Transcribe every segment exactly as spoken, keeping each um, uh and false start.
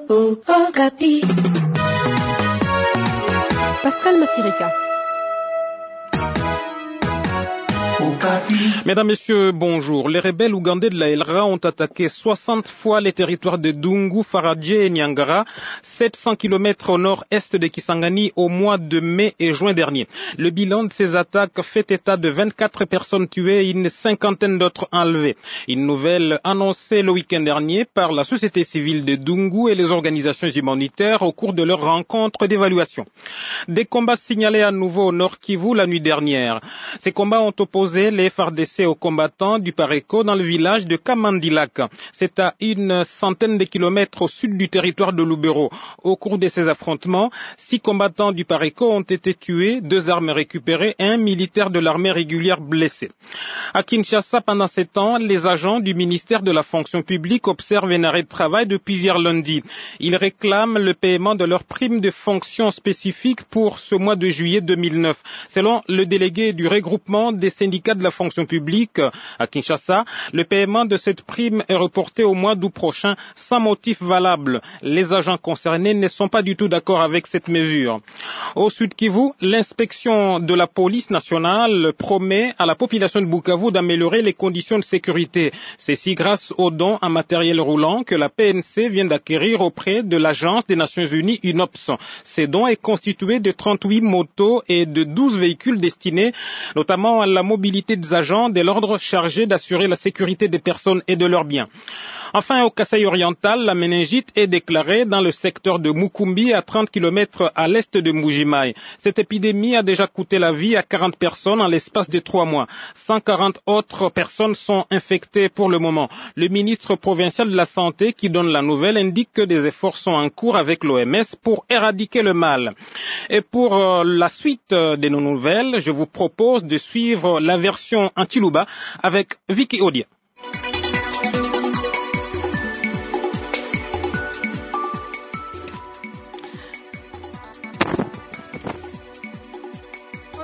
Okapi. Pascal Massirika. Mesdames, Messieurs, bonjour. Les rebelles ougandais de la L R A ont attaqué soixante fois les territoires de Dungu, Faradje et Niangara, sept cents kilomètres au nord-est de Kisangani au mois de mai et juin dernier. Le bilan de ces attaques fait état de vingt-quatre personnes tuées et une cinquantaine d'autres enlevées. Une nouvelle annoncée le week-end dernier par la société civile de Dungu et les organisations humanitaires au cours de leur rencontre d'évaluation. Des combats signalés à nouveau au nord Kivu la nuit dernière. Ces combats ont opposé les F A R D C aux combattants du Pareco dans le village de Kamandilak. C'est à une centaine de kilomètres au sud du territoire de Lubero. Au cours de ces affrontements, six combattants du Pareco ont été tués, deux armes récupérées et un militaire de l'armée régulière blessé. À Kinshasa, pendant ces temps, les agents du ministère de la fonction publique observent un arrêt de travail depuis hier lundi. Ils réclament le paiement de leur prime de fonction spécifique pour ce mois de juillet deux mille neuf. Selon le délégué du regroupement des syndicats de la fonction publique à Kinshasa, le paiement de cette prime est reporté au mois d'août prochain sans motif valable. Les agents concernés ne sont pas du tout d'accord avec cette mesure. Au Sud Kivu, l'inspection de la police nationale promet à la population de Bukavu d'améliorer les conditions de sécurité. Ceci grâce aux dons en matériel roulant que la P N C vient d'acquérir auprès de l'Agence des Nations Unies UNOPS. Ces dons est constitué de trente-huit motos et de douze véhicules destinés notamment à la mobilité des agents de l'ordre chargés d'assurer la sécurité des personnes et de leurs biens. Enfin, au Kasaï oriental, la méningite est déclarée dans le secteur de Mukumbi, à trente kilomètres à l'est de Mbuji-Mayi. Cette épidémie a déjà coûté la vie à quarante personnes en l'espace de trois mois. cent quarante autres personnes sont infectées pour le moment. Le ministre provincial de la Santé, qui donne la nouvelle, indique que des efforts sont en cours avec l'O M S pour éradiquer le mal. Et pour euh, la suite de nos nouvelles, je vous propose de suivre la version en Tshiluba avec Vicky Odia.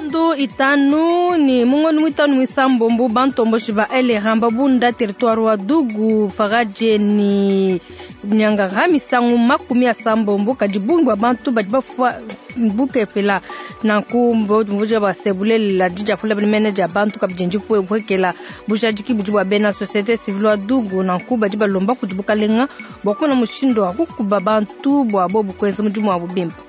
Ndu itanu ni mungono mwitanu mwisambombo bantomboshi ba L R A babunda territoire wa Dungu Faradje ni Niangara misangu makumi asambombo kadi bungi bwa bantu badi bafua bukepela nanku mvuja basebulela dijafula mene dia bantu kabidi ndipwekela bujadiki budi bwa bena société civile wa Dungu nanku badi balomba kudi bukalenga bwa kumona mushindu wa kukuba bantu bwa bobu kwenza mudimu wa bubimpa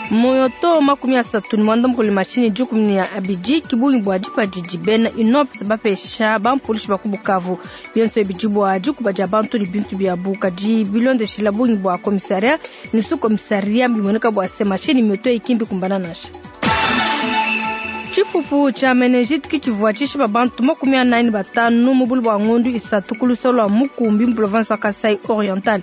moto makumi asatu ni mwanda mukulu mashini dikumi ni abidi kibungi bwa dipa didi bena UNOPS bapesha bampolisi ba ku Bukavu bionso bidi bwa dikuba dia bantu ni bintu byabu kadi bilondeshela bungi bwa commissariat ni sous commissariat bimoneka bwa se mashini moto ikimbi kumbana nasha. Tshifufu tshia meningite kitshivua tshishipa bantu makumi anayi batanu mu bulu bua ngondu isatu ku lusolo lua Mukumbi mu province wa Kasai Oriental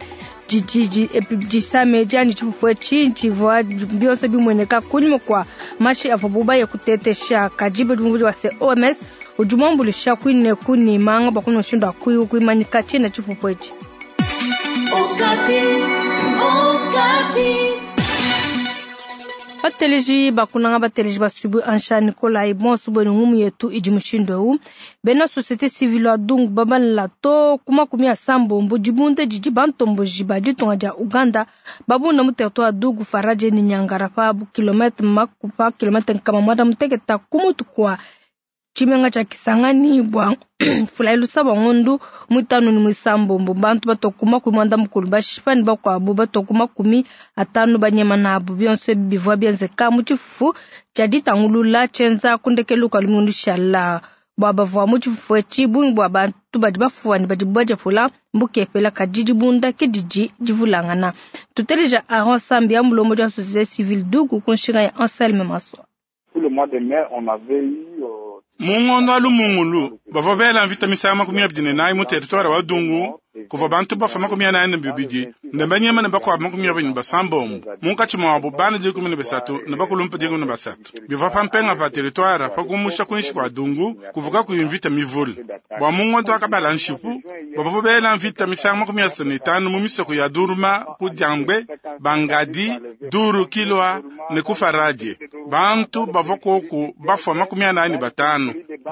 didi disame diani tshifufu etshi tshivua bionso bimueneka kunyima kua mashi avuabu baye kutetesha kadi budi wa se O M S udi muambulisha kuine kuni manga bua kuna mushindu wa kuimanyika tshiena tshifufu etshi. Okapi, Okapi. Bateleji bakunanga bateleji basubu ansha Nikolai bonso bwenu ngumu yetu idi mushindu eu bena société civile wa Dungu babanla to kuma kumi ya sambombo dibunda didi bantomboji ba ditunga dia Uganda babunda mu territoire Dungu Faradje ni Niangara pa kilomètre makupa kilomètre nkama mwanda muteketa kumutu kwa tshimenga tshia Kisangani bua fula lusaba ngondu mwitanu ni mwisambombo bantu batokuma kumi mwanda mukulu bashipa ni bakuabu batokuma kumi atanu banyema nabu bionso bivua bienzeka mu tshifufu tshia ditangulula tshienza kundekelu kua lumingu shala bua bavua mu tshifufu etshi bungi bua bantu badi bafuwa ne badi badiapula mbukepela kadi dibunda ke didi divulangana. Tuteleja Aron Sambi ya mulombodi wa société civile Dungu ku nshinga ya Anselme Maswa. Le mois de mai, on avait eu euh, Mungondo wa lumungulu bavua bela mvita misangu makumi abidi ne nayi mu territoire wa Dungu kuva bantu bafa makumi anayi ne bibidi ne banyema ne bakuabu makumi abidi ne basambombo munkatshi muabu bana dikumi ne basatu ne bakulumpa dikumi ne basatu bivua pa mpenga pa territoire pa kumusha kuinshi kua Dungu kuvuka kuyi mvita mivule bua mungondo wa kabala nshipu bavua bela mvita misangu makumi asatu ne itanu mu misoko ya Duruma ku Diambwe Bangadi Duru Kilwa ne ku Faradje bantu bavua koku bafua makumi anayi ne batanu.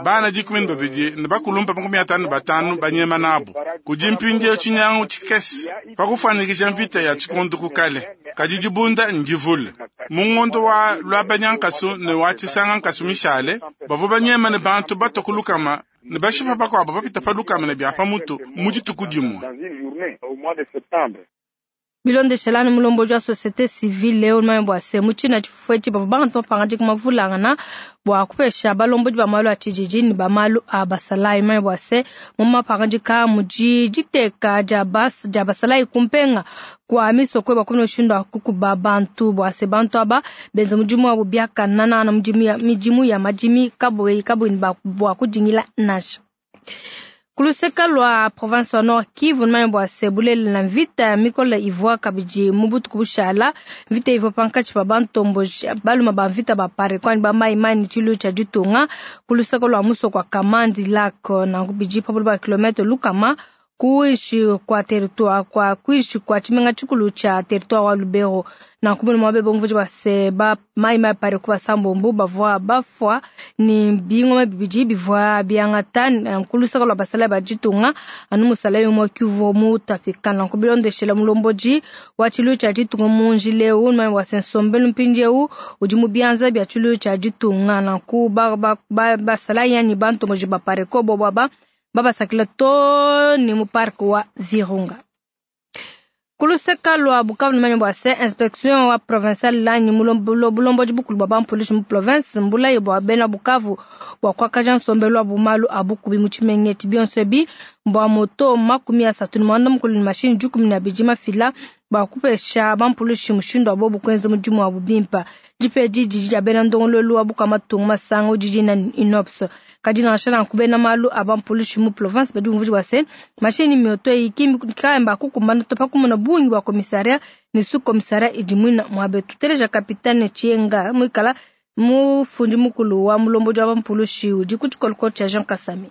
Bana dikumi ne babidi ne bakulumpa makumi atanu ne batanu banyema nabu. Kudi mpindieu tshinyangu tshikese pa kufuanyikija mvita ya tshikondo ku kale. Kadi dibunda ndivule. Mu ngondo wa Lwabanyankasu ne wa Tshisangankasu mishale, bavua banyema ne bantu batua ku lukama ne bashipa bakuabu bapita pa lukama ne bia pa mutu mu dituku dimue. Bilondeshelani mulomboji wa société civile leo manye bua se mu tshina tshifufu etshi bavua bantu bapangadika mavulangana bua kupesha balombodi ba malu a tshididi ne ba malu a basalayi. Manye bua se mu mapangadika mudi diteka dia bas dia basalayi kumpenga kwa misoko bakumi mushindu wa kukuba bantu bua se bantu aba benza mudimu wabu biakanana na mudimu ya midimu ya madimi kaboyi kaboyi bua kudingila nansha. Kuluseka lwa province wa Nord Kivu manye bua se bulele na mvita ya mikolo ivua kabidi mu butuku bushala. Mvita ivua pankatshi pa bantomboji baluma ba mvita ba pare kwani ba mai mai tshilu tshia ditunga. Kuluseka lwa musoko wa Kamandi Lac na bidi pa ba kilomètre lukama kuishi kwa territoire kwa kuishi kwa tshimenga tshikulu tshia territoire wa Lubero. Na kumene mwabe bomvuji ba se ba mai mai pare kwa sambombo bavua bafwa ni bingoma bibidi bivua biangata nkulusaka lwa basala ba ditunga anu musala yo kivu mu tafika. Na kubilondeshela mulomboji wa tshilu tshia ditunga mu njileu mai wa sensombelu mpindieu udi mu bianza bia tshilu tshia ditunga. Na ku ba ba basala yani bantu moji ba pare ko bo ba babasakila to ni mu parc wa Virunga. Kuluseka lwa Bukavu manye bua se inspection wa provincial lanyi mulomboji bukulu bwa bampolisi mu province mbulayi bua bena Bukavu bua kuakaja nsombelu wa bumalu abukubi mu tshimenga bionso ebi bua moto makumi asatu ne muanda mukulu ne mashini dikumi na bidi mafila bua kupesha bampolisi mushindu wa bobu kuenza mudimu wabu bimpa. Dipedi didi dia bena ndongoluelu wa bukamatunga masanga didi na inops. Kadi nansha nanku bena malu a bampolisi mu province badi bumvuija bua se mashini mioto eyi kayamba kukumbana to pa kumona bungi bua komisaria ne su komisaria idi muina muabe. Tuteleja kapitane Chienga muikala mufundi mukulu wa mulomboji wa bampolisi udi ku tshikolokolo tshia Jean Kasami.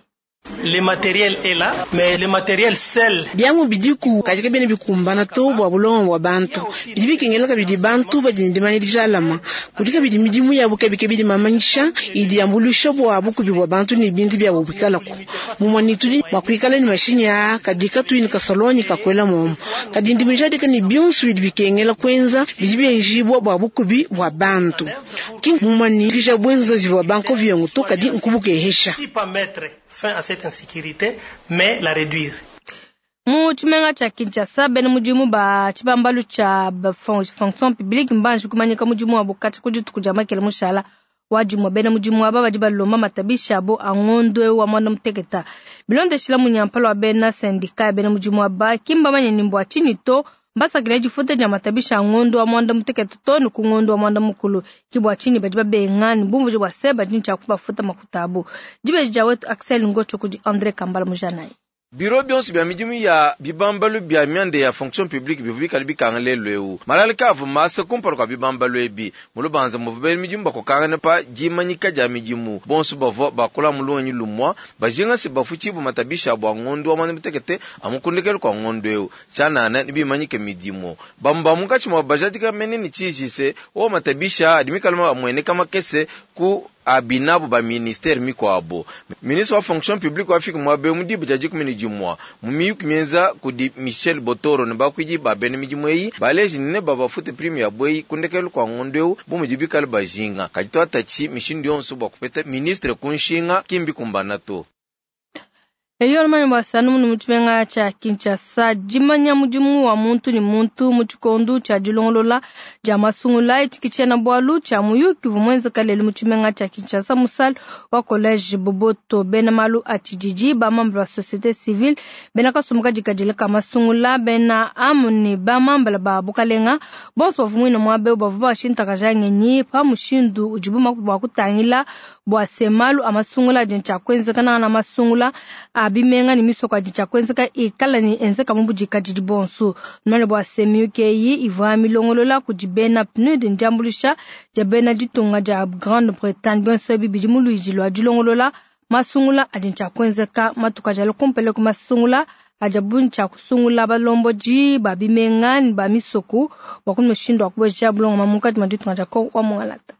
Le matériel est là, mais le matériel seul. Biamu bidiku katika bene bikumbana to bwa bulongo bwa bantu. Bidi bikengela kabidi bantu badi ndimanya dijalama. Kudi kabidi midimu yabo kabike bidi mamanyisha idi yambulisha bwa bukubi bwa bantu ne bintu bya bubikalako. Mumwani tudi bwa kuikala ni mashini ya kadika tu ni kasaloni kakwela momo. Kadi ndimijadika ni bionso bidi bikengela kwenza bidi byenjibwa bwa bukubi bwa bantu. Ki mumwani kisha bwenza bwa banko vyengo to kadi nkubukehesha. Fin à cette insécurité, mais la réduire. Mu tshimenga tshia Kinshasa bena mudimu ba tshibambalu tshia fonction publique mbanji kumanyika mudimu wabo kati ku dituku dia makele mushala wa dimue. Bena mudimu aba badi balomba matabisha abo a ngondo eu wa muanda muteketa. Bilondeshila munyampala wa bena syndicat ya bena mudimu aba kimba manye mbua tshinyi to mbasakila difuta dia matabisha a ngondo wa muanda muteketa to ne ku ngondo wa muanda mukulu. Kibua tshinyi badi babenga ne bumvuji bua se badi ntshia kubafuta makuta abo. Dibeji dia wetu Axel Ngocho kudi André Kambala Mujanayi. Biro bionso bya midimu ya bibambalu bya myanda ya fonction publique bivu bikali bikanga lelu eu. Malala kavu masa kumpala kwa bibambalu ebi. Mulubanza muvu midimu bakokangana pa dimanyika dia midimu. Bonso bavua bakola mulonyi lumwa bajinga se bafuchi bu matabisha bwa ngondo wa mwanda mutekete amukundikelo kwa ngondo eu. Chanana ni bimanyike midimu. Bamba mukachi mwa bajadika menene chijise o matabisha adimikalama amwene kama kese ku abinabo ba ministère mikwabo. Ministre wa fonction publique wa Afrika mwabe mudibu jaji kumini jumwa. Mumiyuki mienza kudi Michel Botoro ne bakwidi ba bene midimu eyi baleji ne baba fute prime ya bweyi kundekelu kwa ngondo bu mujibikale bajinga. Kajito atachi mishindu yonso bwa kupeta ministre kunshinga kimbi kumbana to. Eyo manye bwa sanu munu mu tshimenga tshia Kinshasa dimanya mudimu wa muntu ni muntu mu tshikondo tshia dilongolola dia masungula etshi tshiena bualu tshia muyuki uvua muenzeka lelu mu tshimenga tshia Kinshasa mu salle wa collège Boboto. Bena malu a tshididi ba membre ba société civile bena kasumbu kadikadile ka masungula bena amu ne ba membre ba bukalenga bonso bavua muine muaba eu bavua bashintakaja ngenyi pa mushindu udibu bua kutangila bua se malu a masungula adi ntshia kuenzeka na masungula a bimenga ni misoko adi tshia kuenzeka ikala ni enzeka mu budikadidi bonso. Numene bua se miyuki eyi ivua milongolola kudi bena P N U D ndiambuluisha dia bena ditunga dia Grande-Bretagne. Bonso ebi bidi mu luidi lua dilongolola masungula adi ntshia kuenzeka matuku adi alua kumpala ku masungula adi abu ntshia kusungula balombodi ba bimenga ni ba misoko bua ku mushindu wa kubeja bulongoma munkatshi mua ditunga dia Congo wa Mongalata.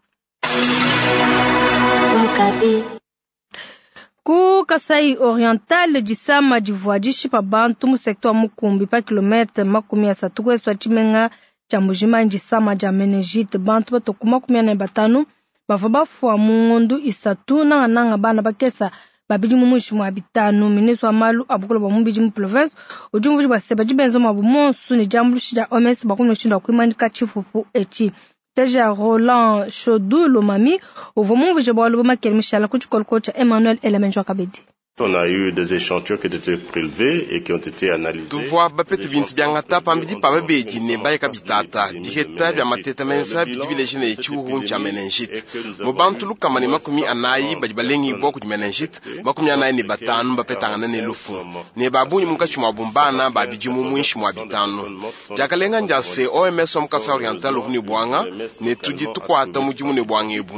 Ku Kasai Oriental disama divua dishipa bantu mu secteur wa Mukumbi pa kilomètre makumi asatu ku est tshimenga tshia Mbujimayi disama dia meningite bantu batoku makumi ane batanu bavua bafua mu ngondu isatu nangananga bana bakesa babidi mu muinshi mua bitanu. Ministre wa malu a bukole bua mubidi mu province udi umvuija bua se badi benza muabu monsu ne diambuluisha dia O M S bua kumona kuimanyika tshipupu etshi. Teja Roland Chodou Lomami uvua mumvuije bualu bua Makele Mishala ku tshikoloko tshia Emmanuel Elemenjo Kabedi. On a eu des échantillons qui ont été prélevés et qui ont été analysés. Tuvua bapete bintu byangata pambidi pa babedi ne bayeka bitata biheta bya mateta mensa bidi bileje ne tshiuhu tshia meningite mu bantu lukama ne makumi anayi badi balengibwa kudi meningite makumi anayi ne batanu bapetangana ne lufu ne babunyi munkatshi mua bumbana babidi mu muinshi mua bitanu. Diakalenga ndia se O M S wa mu Kasai Oriental uvu ne bwanga ne tudi tukuata mudimu ne bwanga ebu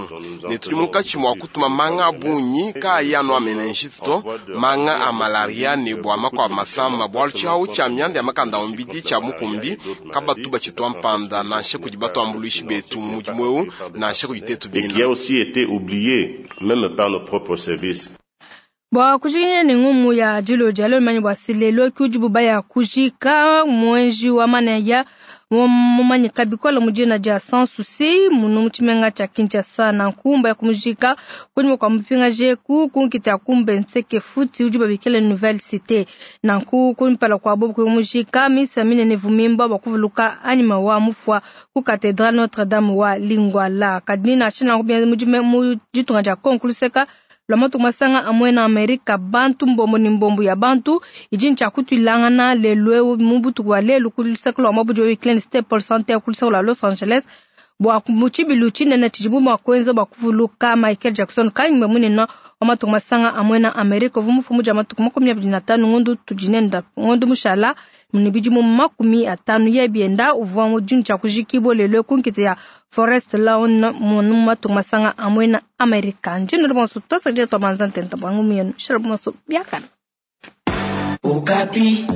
ne tudi munkatshi mua kutuma manga abunyi kaayi anu a meningite to manga a malaria ne bwa makwa masamba bwalu tshiawu tshia myanda ya makanda ombidi tshia mukumbi kabatu batshitwa mpanda nansha kudi batuambuluishi betu mu mudimu eu nansha kudi tetu Et qui a aussi été oublié même par nos propres services. Bwa kujinya ne ngumu ya dilo dia manyi bwa silelo kujibu baya kujika mwenji wa manaya mumanyika bikola mujina dia Sans Souci munu muchimenga cha Kinshasa na nkumba ya kumujika kunyuma kwa mupinga jeku kunkita kumbe nseke futi ujiba bikele nouvelle cité na nku kumpala kwa bobu kumujika misa minene vumimba bakuvuluka anima wa mufwa ku cathédrale Notre-Dame wa Lingwala kadina china kubya mujime mujitunga ja konkuluseka lwa matuku masanga amwe na Amerika bantu mbombo ni mbombo ya bantu ijini cha kutwilangana lelwe mu butuku bwa lelu kuluseka lwa mabuji wa Clean Staples Center kuluseka lwa Los Angeles bwa muchibilu chinene chijibu mwa kwenza bwa kuvuluka Michael Jackson kanyimbe munene wa matuku masanga amwe na Amerika vumufu muja matuku makumi abiri na tanu ngondu tujinenda ngondu mushala munibiji mu makumi atanu yebienda uvwa mujini cha kujikibo lelwe kunkite ya Forest Lawn munu matuku masanga amwe na Amerika. Njino bonso tosa je to manzante ntabwangu miyenu. Shira bonso biakana. Okapi.